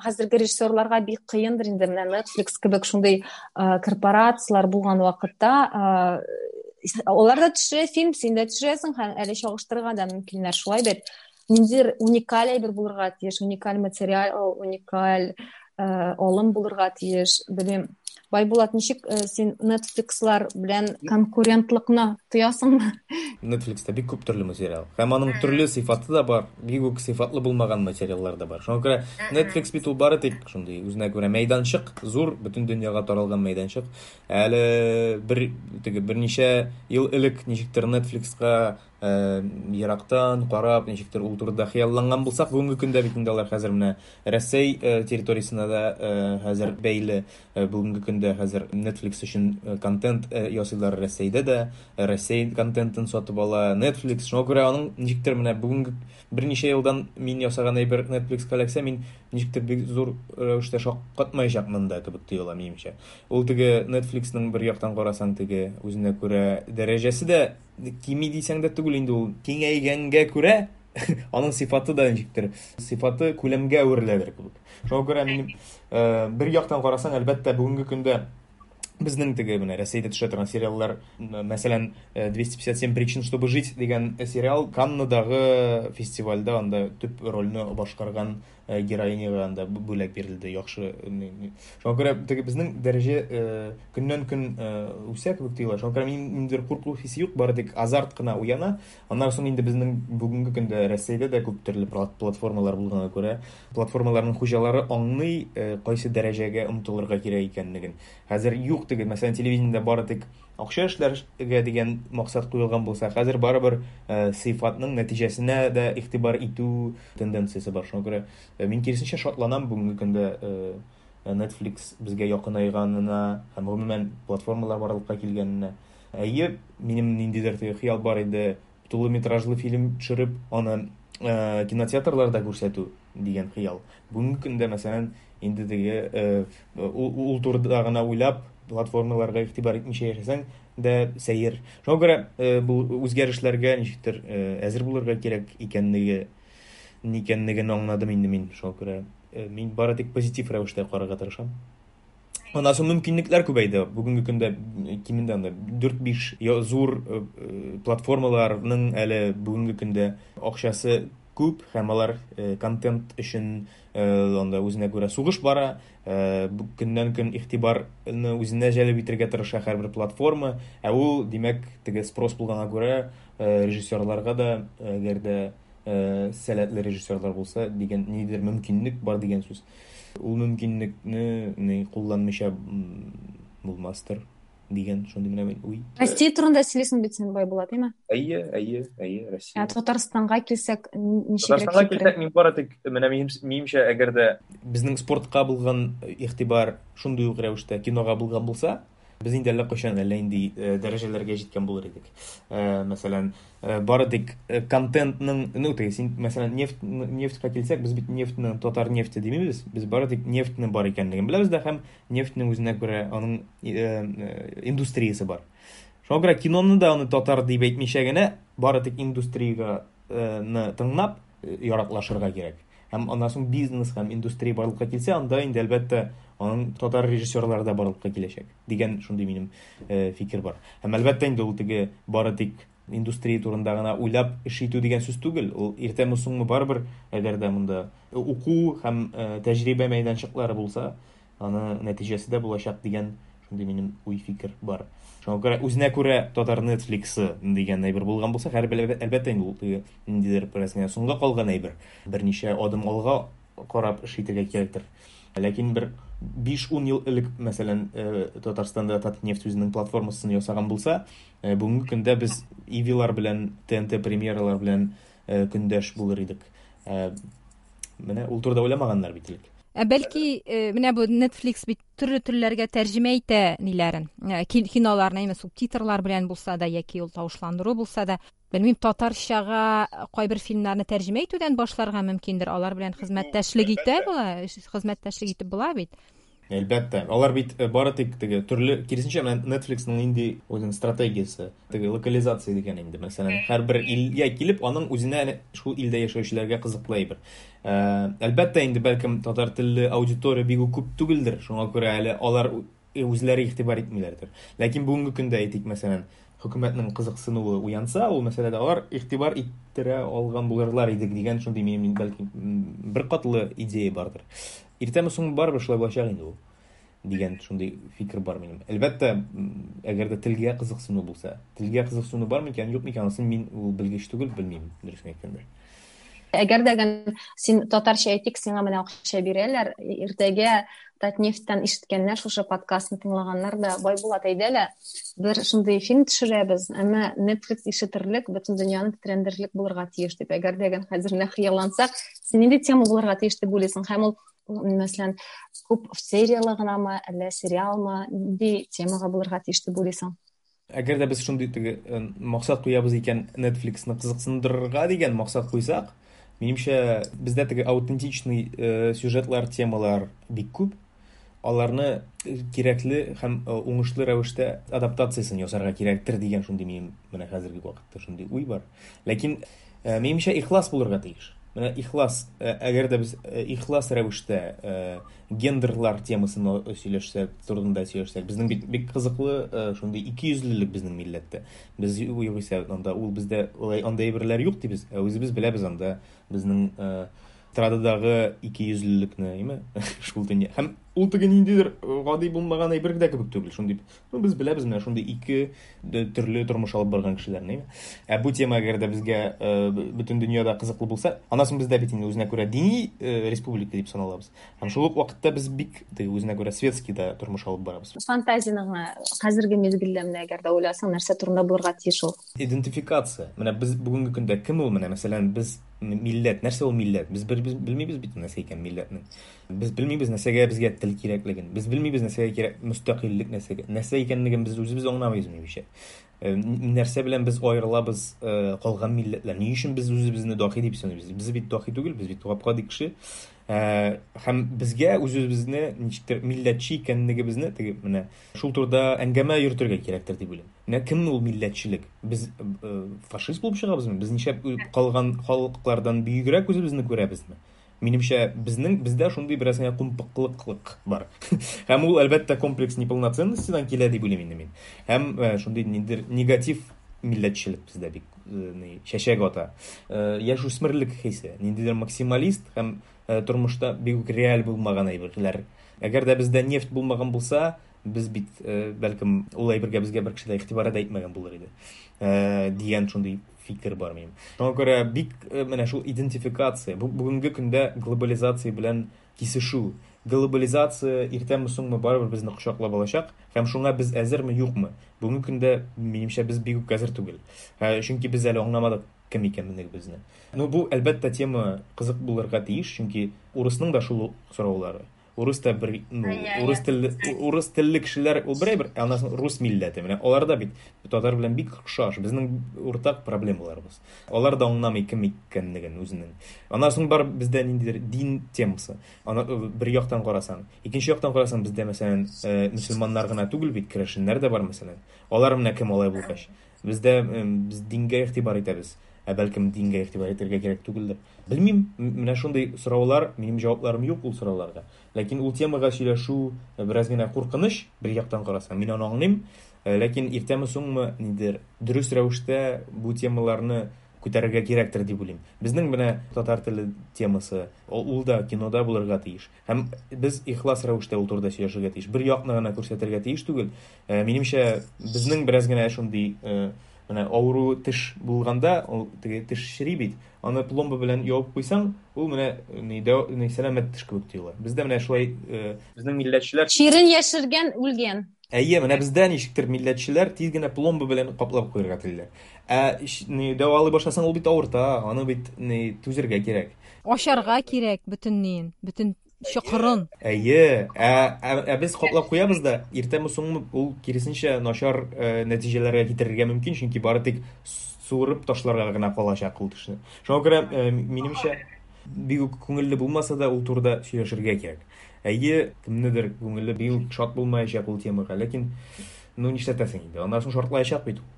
Хәзерге режиссерларга бик кыендыр инде менә Netflix кебек шундый корпорацияләр булган вакытта, алар да төшерә фильм, син дә төшерәсең һәм әле чагыштырырга да мөмкиннәр, шулай бит. Ниндидер уникаль әйбер булырга тиеш, уникаль материал, уникаль алым булырга тиеш, белмим. Байбулат, ничек син Netflixлар белән конкурентлыкны тоясыңмы? Netflixта бик күп төрле материал. Һәм аның төрле сыйфаты да бар, бик үк сыйфатлы булмаган материаллар да бар. Шуңа күрә Netflix бит ул бары тик шундый үзенә күрә мәйданчык, зур, бөтен дөньяга таралган мәйданчык. Әле бер теге берничә ел элек ничектер Netflixка ерактан карап, ничектер ул турыда хыялланган булсак, бүгенге көндә бит инде алар хәзер менә Рәсәй территориясенә дә хәзер бәйле. Бүгенге көндә хәзер Netflix өчен контент ясыйлар Рәсәйдә дә, Рәсәй контентын сатып ала Netflix. Шуңа күрә аның ничектер менә бүгенге берничә елдан мин ясаган әйбер Netflix-ка эләксә, мин ничектер бик зур рәвештә шаккатмаячакмын да кебек тоела минемчә. Ул теге Netflix-ның бер яктан карасаң, теге үзенә күрә дәрәҗәсе дә кими дисәң дә түгел инде, ул киңәйгәнгә күрә аның сыйфаты да ничектер, сыйфаты күләмгә әвереләдер кебек. Шуңа күрә минем бер яктан карасаң, әлбәттә, бүгенге көндә безнең теге менә Рәсәйдә төшә торган сериаллар, мәсәлән, 257 причин, чтобы жить дигән сериал Каннадагы фестивальдә анда төп рольне башкарган героиняга анда бүләк бирелде, яхшы. Шуңа күрә теге безнең дәрәҗә көннән-көн үсә кебек тоела. Шуңа күрә минем ниндидер курку хисе юк, бары тик азарт кына уяна. Аннан соң инде безнең бүгенге көндә Рәсәйдә дә күп төрле платформалар булганга күрә, платформаларның хуҗалары аңлый, кайсы дәрәҗәгә омтылырга кирәк икәнлеген. Хәзер юк теге, мәсәлән, телевидениедә бары тик акча эшләргә дигән максат куелган булса, хәзер барыбер сыйфатның нәтиҗәсенә дә игътибар итү тенденциясе бар. Шуңа күрә мин киресенчә шатланам бүгенге көндә Netflix безгә якынайганына һәм гомумән платформалар барлыкка килгәненә. Әйе, минем ниндидер теге хыял бар иде, тулы метражлы фильм төшереп, аны кинотеатрларда күрсәтү дигән хыял. Бүгенге көндә, мәсәлән, инде теге ул турыда гына уйлап, платформаларга игътибар итмичә яшәсәң дә сәер. Шуңа күрә бу үзгәрешләргә ничектер әзер булырга кирәк икәнлеген аңладым инде мин. Шуңа күрә мин бары тик позитив рәвештә карарга тырышам. Аннан соң мөмкинлекләр күбәйде. Бүгенге көндә кимендә анда 4-5 зур платформаларның әле бүгенге көндә акчасы күп һәм алар контент өчен анда үзенә күрә сугыш бара. Көннән-көн игътибарны үзенә җәлеп итәргә тырыша һәрбер платформа. Ә ул, димәк, теге спрос булганга күрә режиссерларга да, әгәр дә Сәләтле режиссерлар булса дигән ниндидер мөмкинлек бар дигән сүз. Ул мөмкинлекне ни кулланмыйча булмастыр дигән шундый менә мин уй. Россия турында сөйлисең бит син, Байбулат, әйме? Әйе, әйе, әйе, Россия. Ә Татарстанга килсәк, ничегрәк Татарстанга килсәк, мин бары тик менә минемчә, әгәр дә безнең спортка булган игътибар шундый ук рәвештә кинога булган булса, без инде әллә кайчан әллә нинди дәрәҗәләргә җиткән булыр идек. Мәсәлән, бары тик контентның, ну, теге син, мәсәлән, нефть, нефтькә килсәк, без бит нефтьне татар нефте димибез, без бары тик нефтьнең бар икәнлеген беләбез дә һәм нефтьнең үзенә күрә аның индустриясе бар. Шуңа күрә киноны да аны татар дип әйтмичә генә, бары тик индустрияне тыңлап яраклашырга кирәк. Һәм аннан соң бизнес һәм индустрия барлыкка килсә, анда инде әлбәттә аның татар режиссерлары да барлыкка киләчәк дигән шундый минем фикер бар. Һәм әлбәттә инде ул теге бары тик индустрия турында гына уйлап эш итү дигән сүз түгел. Ул иртәме соңмы барыбер, әгәр дә монда уку һәм тәҗрибә мәйданчыклары булса, аны нәтиҗәсе дә булачак дигән шундый минем уй-фикер бар. Шуңа күрә үзенә күрә татар Netflix-ы дигән әйбер булган булса, һәрбер әлбәттә инде ул теге ниндидер бераз генә соңга калган әйбер. Берничә адым алга карап эш итәргә кирәктер. Ләкин бер 5-10 ел элек, мәсәлән, Татарстанда Татнефть үзенең платформасын ясаган булса, бүгенге көндә без Ивилар белән, ТНТ премьералар белән көндәш булыр идек. Менә ул турыда уйламаганнар бит элек. Ә бәлки, менә бу Netflix бит төрле телләргә тәрҗемә итә ниләрен, киноларны, әйме, субтитрлар белән булса да, яки ул тавышландыру булса да. Белмим, татарчага кайбер фильмнарны тәрҗемә итүдән башларга мөмкиндер. Алар белән хезмәттәшлек итә була, хезмәттәшлек итеп була бит. Әлбәттә, алар бит бары тик теге төрле, киресенчә, менә Netflix-ның нинди үзенең стратегиясе, теге локализация дигән инде, мәсәлән, һәрбер илгә килеп, аның үзенә әнә шул илдә яшәүчеләргә кызыклы әйбер. Әлбәттә инде, бәлкем татар телле аудитория бик үк күп түгелдер, шуңа күрә әле алар үзләре игътибар итмиләрдер. Ләкин бүгенге көндә әйтик, мәсәлән, хөкүмәтнең кызыксынуы уянса, ул мәсьәләдә алар игътибар иттерә алган булырлар иде дигән шундый минем, бәлки, бер катлы идея бардыр. Иртәме соңмы барыбер шулай булачак инде ул дигән шундый фикер бар минем. Әлбәттә, әгәр дә телгә кызыксыну булса, телгә кызыксыну бар микән, юк микән, анысын мин ул белгеч түгел, белмим, дөресен әйткәндә. Әгәр дә син татарча әйтик, сиңа менә акча бирәләр, иртәгә Татнефтьтән ишеткәннәр, шушы подкастны тыңлаганнар да, Байбулат, әйдә лә, бер шундый фильм төшерәбез, әмма Netflix ишетерлек, бөтен дөньяны тетрәндерерлек булырга тиеш дип. Әгәр дә хәзер менә хыяллансак, син нинди тема булырга тиеш дип уйлыйсың? Һәм ул, мәсәлән, күп сериялы гынамы, әллә сериалмы, нинди темага булырга тиеш дип уйлыйсың? Әгәр дә без шундый теге максат куябыз икән, Netflix-ны кызыксындырырга дигән максат куйсак, минемчә, бездә теге аутентичный сюжетлар, темалар бик күп. Аларны кирәкле һәм уңышлы рәвештә адаптациясен ясарга кирәктер дигән шундый минем менә хәзерге вакытта шундый уй бар. Ләкин минемчә, ихлас булырга тиеш. Менә ихлас, әгәр дә без ихлас рәвештә гендерлар темасын сөйләшсәк, турында сөйләшсәк, безнең бит бик кызыклы шундый икейөзлелек безнең милләттә. Без югыйсә анда ул бездә алай анда әйберләр юк дибез, ә үзебез беләбез анда безнең стрададагы икейөзлелекне, әйме? Шул дөнья. Һәм ул теге ниндидер гади булмаган әйбер дә кебек түгел. Шундый, ну, без беләбез менә шундый ике төрле тормыш алып барган кешеләрне, әйме? Ә бу тема әгәр дә безгә бөтен дөньяда кызыклы булса, аннан соң бездә бит инде үзенә күрә дини республика дип саналабыз. Һәм шул ук вакытта без бик теге үзенә күрә светский да тормыш алып барабыз. Фантазияне генә хәзерге мизгелдә менә әгәр дә уйласаң, нәрсә турында булырга тиеш ул? Идентификация. Менә без бүгенге көндә кем ул менә, мәсәлән, без милләт, нәрсә ул милләт? Без бер без белмибез бит нәрсә икән милләтнең. Без белмибез нәрсәгә безгә тел кирәклеген. Без белмибез нәрсәгә кирәк мөстәкыйльлек нәрсәгә. Нәрсә икәнлеген без үзебез аңламыйбыз минемчә. Нәрсә белән без аерылабыз калган милләтләр? Ни өчен без үзебезне дахи дип саныйбыз? Без бит дахи түгел, без бит гап-гади кеше. Һәм безгә үз-үзебезне ничектер милләтче икәнлегебезне теге менә шул турыда әңгәмә йөртергә кирәктер дип уйлыйм. Менә кем ул милләтчелек? Без фашист булып чыгабызмы? Без нишләп калган халыклардан бөегрәк үзебезне күрәбезме? Минемчә, бездә шундый бераз генә кумпыклыклык бар. Һәм ул, әлбәттә, комплекс неполноценностьтан килә дип уйлыйм инде мин. Һәм шундый ниндидер негатив милләтчелек бездә бик чәчәк ата. Яшүсмерлек хисе, ниндидер максималист һәм тормышта бик үк реаль булмаган әйберләр. Әгәр дә бездә нефть булмаган булса, без бит бәлкем ул әйбергә безгә бер кеше дә игътибар да итмәгән булыр иде. Дигән шундый фикер бар минем. Шуңа күрә бик менә шул идентификация, бу бүгенге көндә глобализация белән кисешү. Глобализация иртәме соңмы барыбер безне кочаклап алачак һәм шуңа без әзерме, юкмы? Бүгенге көндә, минемчә, без бик үк әзер түгел. Чөнки без әле аңламадык кем икәнлегебезне. Ну, бу, әлбәттә, тема кызык булырга тиеш, чөнки урысның да шул ук сораулары. Урыс та бер, ну, урыс телле, урыс телле кешеләр ул бер әйбер, ә аннан соң рус милләте. Менә алар да бит татар белән бик охшаш. Безнең уртак проблемаларыбыз. Алар да аңламый кем икәнлеген үзенең. Аннан соң бар бездә ниндидер дин темасы. Аны бер яктан карасаң, икенче яктан карасаң, бездә, мәсәлән, мөселманнар гына түгел бит, керәшеннәр дә бар, мәсәлән. Алар менә кем алай булгач? Бездә без дингә игътибар итәбез. Ә бәлкем дингә игътибар итәргә кирәк түгелдер. Белмим, менә шундый сораулар, минем җавапларым юк ул сорауларга. Ләкин ул темага сөйләшү бераз генә куркыныч, бер яктан карасаң, мин аны аңлыйм. Ләкин иртәме соңмы нидер дөрес рәвештә бу темаларны күтәрергә кирәктер дип уйлыйм. Безнең менә татар теле темасы, ул да кинода булырга тиеш. Һәм без ихлас рәвештә ул турыда сөйләшергә тиеш. Бер якны гына күрсәтергә тиеш түгел. Минемчә, безнең бераз генә шундый менә авыру теш булганда, ул теге теш чери бит, аны пломба белән ябып куйсаң, ул менә ни, ни сәламәт теш кебек тоела. Бездә менә шулай безнең милләтчеләр чирен яшергән үлгән. Әйе, менә бездә ничектер милләтчеләр тиз генә пломба белән каплап куярга телиләр. Ә ни дәвалый башласаң, ул бит авырта, аны бит ни түзергә кирәк. Ашарга кирәк бөтен ниен, бөтен чокырын. Әйе, ә без каплап куябыз да, иртәме соңмы ул киресенчә начар нәтиҗәләргә китерергә мөмкин, чөнки бары тик суырып ташларга гына калачак ул тешне. Шуңа күрә, минемчә, бик үк күңелле булмаса да, ул турыда сөйләшергә кирәк. Әйе, кемнедер күңеле бик үк шат булмаячак ул темага, ләкин ну нишләтәсең инде, аннан соң шартлаячак бит ул.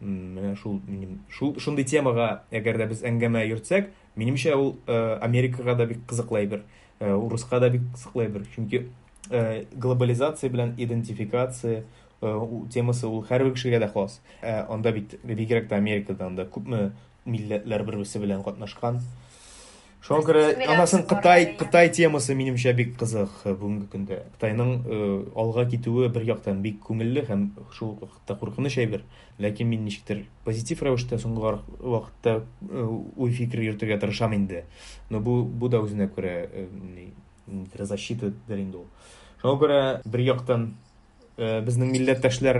Менә шул минем шул шундый темага әгәр дә без әңгәмә йөртсәк, минемчә ул Америкага да бик кызыклы әйбер, урыска да бик кызыклы әйбер. Чөнки глобализация белән идентификация темасы ул һәрбер кешегә дә хас. Анда бит бигрәк тә Америкада анда күпме милләтләр бер-берсе белән катнашкан. Шуңа күрә анасын Кытай, Кытай темасы минемчә бик кызык бүгенге көндә. Кытайның алга китүе бер яктан бик күңелле һәм шул ук вакытта куркыныч әйбер. Ләкин мин ничектер позитив рәвештә соңгы вакытта уй-фикер йөртергә тырышам инде. Но бу да үзенә күрә защитадыр инде ул. Шуңа күрә бер яктан безнең милләттәшләр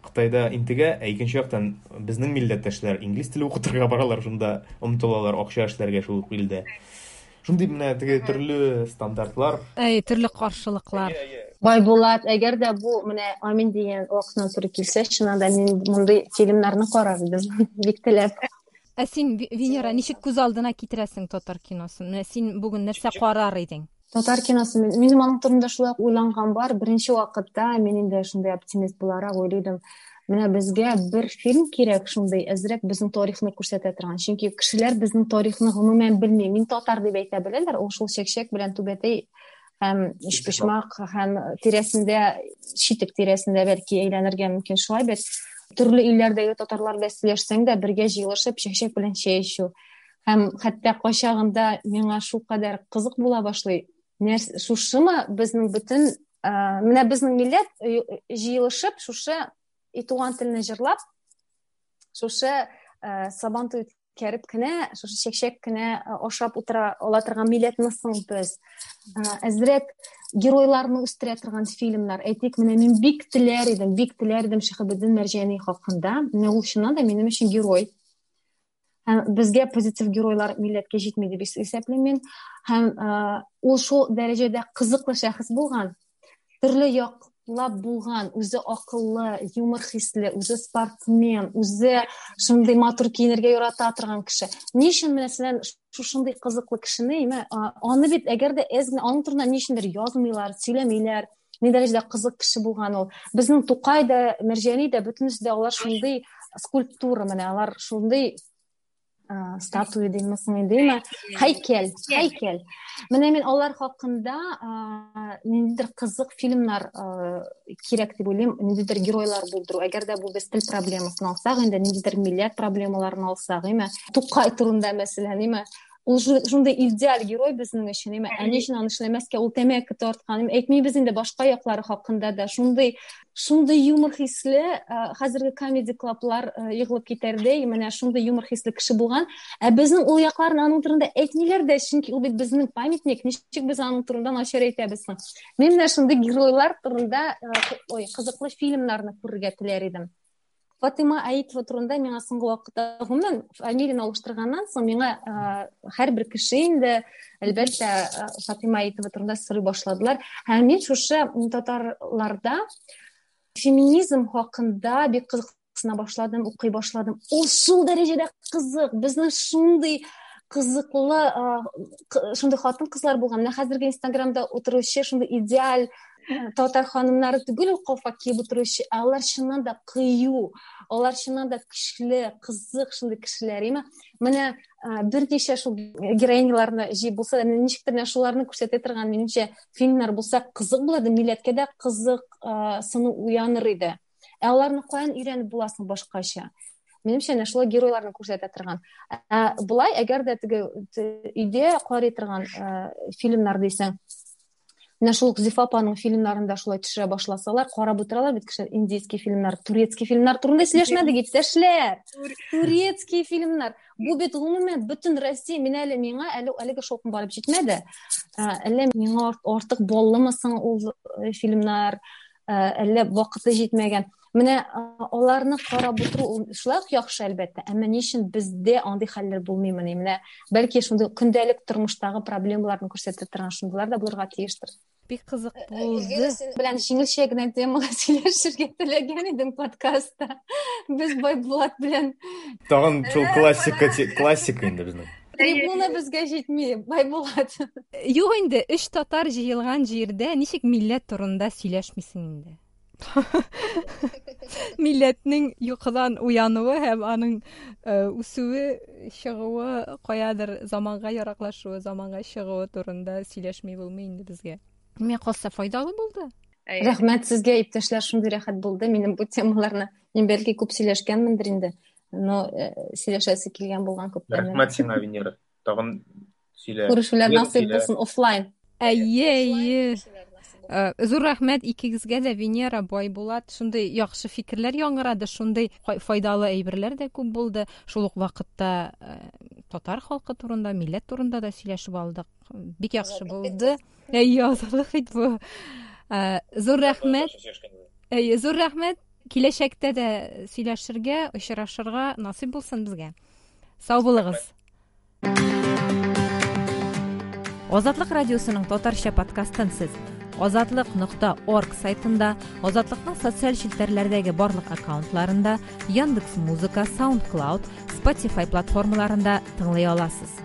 Кытайда интегә, ә икенче яктан безнең милләттәшләр инглиз теле укытырга баралар, шунда омтылалар акча эшләргә шул ук илдә. Шундый менә теге төрле стандартлар. Әй, төрле каршылыклар. Байбулат, әгәр дә бу менә Амин дигән вакытына туры килсә, чыннан да мин мондый фильмнарны карар идем, бик теләп. Ә син, Венера, ничек күз алдына китерәсең татар киносын? Менә син бүген нәрсә карар идең? Татар киносы, минем аның турында шулай ук уйланган бар. Беренче вакытта мин инде шундый оптимист буларак уйлыйдым. Менә безгә бер фильм кирәк шундый, әзрәк безнең тарихны күрсәтә торган. Чөнки кешеләр безнең тарихны гомумән белми. Мин татар дип әйтә беләләр, ул шул чәкчәк белән түбәтәй һәм өчпочмак һәм тирәсендә, читек тирәсендә бәлки әйләнергә мөмкин шулай бит. Төрле илләрдәге татарлар белән сөйләшсәң дә, бергә җыелышып чәкчәк белән чәй эчү. Һәм хәтта кайчагында миңа шулкадәр кызык була башлый. Нәрс, шушымы безнең бөтен, менә безнең милләт җыелышып, шушы и туган телне җырлап, шушы Сабантуй үткәреп кенә, шушы чәкчәк кенә ашап утыра ала торган милләтме соң без? Әзрәк геройларны үстерә торган фильмнар. Әйтик, менә мин бик теләр идем, бик теләр идем Шиһабетдин Мәрҗани хакында. Менә ул чыннан да минем өчен герой. Һәм безгә позитив геройлар милләткә җитми дип исәплим мин. Һәм ул шул дәрәҗәдә кызыклы шәхес булган, төрле яклап булган, үзе акыллы, юмор хисле, үзе спортсмен, үзе шундый матур киенергә ярата торган кеше. Ни өчен менә мәсәлән шушындый кызыклы кешене, әйме, аны бит әгәр дә әз генә аның турында ни өчендер язмыйлар, сөйләмиләр. Ни дәрәҗәдә кызык кеше булган ул. Безнең Тукай да, Мәрҗани дә, бөтенесе дә алар шундый скульптура, менә алар шундый статуя димме соң инде, әйме? Һәйкәл, һәйкәл. Менә мин алар хакында ниндидер кызык фильмнар кирәк дип уйлыйм, ниндидер геройлар булдыру. Әгәр дә бу без тел проблемасын алсак, инде ниндидер милләт проблемаларын алсак, әйме? Тукай турында мәсәлән, әйме? Ул шундый идеаль герой безнең өчен, әмма ә ни өчен аны эшләмәскә? Ул тәмәке тарткан, әйтмибез инде башка яклары хакында да. Шундый шундый юмор хисле, хәзерге комеди клаблар егылып китәрдәй, менә шундый юмор хисле кеше булган. Ә безнең ул якларын аның турында әйтмиләр дә, чөнки ул бит безнең памятник, ничек без аның турында начар әйтәбез соң? Мин менә шундый геройлар турында, ой, кызыклы фильмнарны күрергә теләр идем. Фатыйма Аитова турында миңа соңгы вакытта, гомумән, фамилияне алыштырганнан соң миңа һәрбер кеше инде, әлбәттә, Фатыйма Аитова турында сорый башладылар. Һәм мин шушы татарларда феминизм хакында бик кызыксына башладым, укый башладым. Ул шул дәрәҗәдә кызык, безнең шундый кызыклы, шундый хатын-кызлар булган. Менә хәзерге Инстаграмда утыручы шундый идеаль татар ханымнары түгел ул калфак киеп утыручы, ә алар чыннан да кыю, алар чыннан да көчле, кызык шундый кешеләр, әйме? Менә берничә шул героиняларны җыеп булса да, ничектер менә шуларны күрсәтә торган, минемчә, фильмнар булса кызык булыр иде, милләткә дә кызык сыну уяныр иде. Ә аларны каян өйрәнеп буласың башкача? Минемчә, әнә шулай геройларны күрсәтә торган. Ә болай, әгәр дә теге өйдә карый торган фильмнар дисәң, менә шул ук Зифа апаның фильмнарын да шулай төшерә башласалар, карап утыралар бит кешеләр индийский фильмнар, турецкий фильмнар турында сөйләшмәдек, иптәшләр. Турецкий фильмнар. Бу бит гомумән бөтен Россия, мин әле миңа әле әлеге шаукым барып җитмәде. Әллә миңа артык баллымы соң ул фильмнар, әллә вакыты җитмәгән. Менә аларны карап утыру ул шулай ук яхшы, әлбәттә, әмма ни өчен бездә андый хәлләр булмыймыни? Менә бәлки шундый көндәлек тормыштагы проблемаларны күрсәтә торган шундыйлар да булырга тиештер. Бик кызык булды. Син белән җиңелчә генә темага сөйләшергә теләгән идем подкастта. Без Байбулат белән. Тагын шул классика, классика инде безнең. Трибуна безгә җитми, Байбулат. Юк инде, өч татар җыелган җирдә ничек милләт турында сөйләшмисең инде? Милләтнең йокыдан уянуы һәм аның үсүе, чыгуы, каядыр заманга яраклашуы, заманга чыгуы турында сөйләшми булмый инде безгә. Миңа калса, файдалы булды. Рәхмәт сезгә, иптәшләр, шундый рәхәт булды минем бу темаларны. Мин бәлки күп сөйләшкәнмендер инде, но сөйләшәсе килгән булган күптән. Рәхмәт сиңа, Венера. Тагын сөйлә. Күрешүләр насыйп булсын офлайн. Әйе, әйе. Зур рәхмәт икегезгә дә, Венера, Байбулат. Шундый яхшы фикерләр яңгырады, шундый файдалы әйберләр дә күп булды. Шул ук вакытта татар халкы турында, милләт турында да сөйләшеп алдык. Бик яхшы булды. Әйе, азатлык бит бу. Зур рәхмәт. Әйе, зур рәхмәт. Киләчәктә дә сөйләшергә, очрашырга насыйп булсын безгә. Сау булыгыз. Азатлык радиосының татарча подкастын сез азатлык.орг сайтында, Азатлыкның социаль челтәрләрдәге барлык аккаунтларында, Яндекс Музыка, SoundCloud, Spotify платформаларында тыңлый аласыз.